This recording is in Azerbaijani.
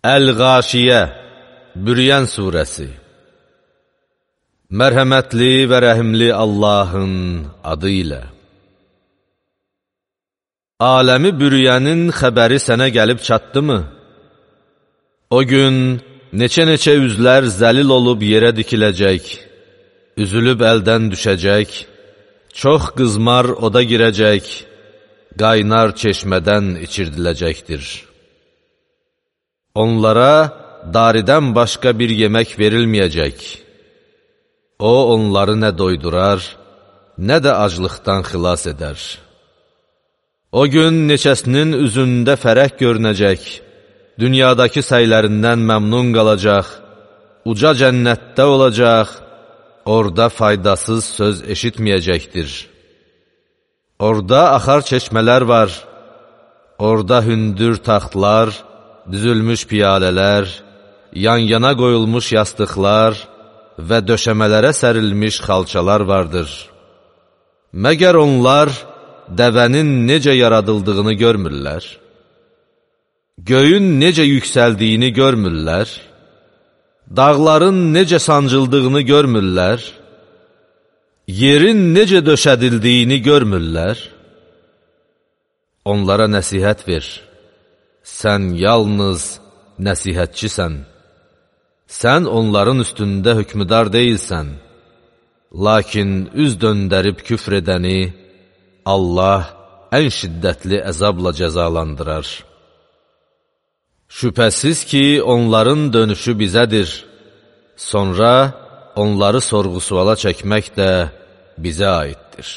Əl-Qaşiyə, Bürüyən surəsi. Mərhəmətli və rəhimli Allahın adı ilə. Aləmi bürüyənin xəbəri sənə gəlib çatdımı? O gün neçə-neçə üzlər zəlil olub yerə dikiləcək, üzülüb əldən düşəcək, çox qızmar oda girəcək, qaynar çeşmədən içirdiləcəkdir. Onlara daridən başqa bir yemək verilməyəcək. O, onları nə doydurar, nə də aclıqdan xilas edər. O gün neçəsinin üzündə fərəh görünəcək, dünyadakı səylərindən məmnun qalacaq, uca cənnətdə olacaq, orada faydasız söz eşitməyəcəkdir. Orada axar çeşmələr var, orada hündür taxtlar, düzülmüş piyalələr, yan-yana qoyulmuş yastıqlar və döşəmələrə sərilmiş xalçalar vardır. Məgər onlar dəvənin necə yaradıldığını görmürlər? Göyün necə yüksəldiyini görmürlər? Dağların necə sancıldığını görmürlər? Yerin necə döşədildiyini görmürlər? Onlara nəsihət ver. Sən yalnız nəsihətçisən. Sən onların üstündə hökmüdar deyilsən. Lakin üz döndərib küfr edəni Allah ən şiddətli əzabla cəzalandırar. Şübhəsiz ki, onların dönüşü bizədir. Sonra onları sorğu-suala çəkmək də bizə aiddir.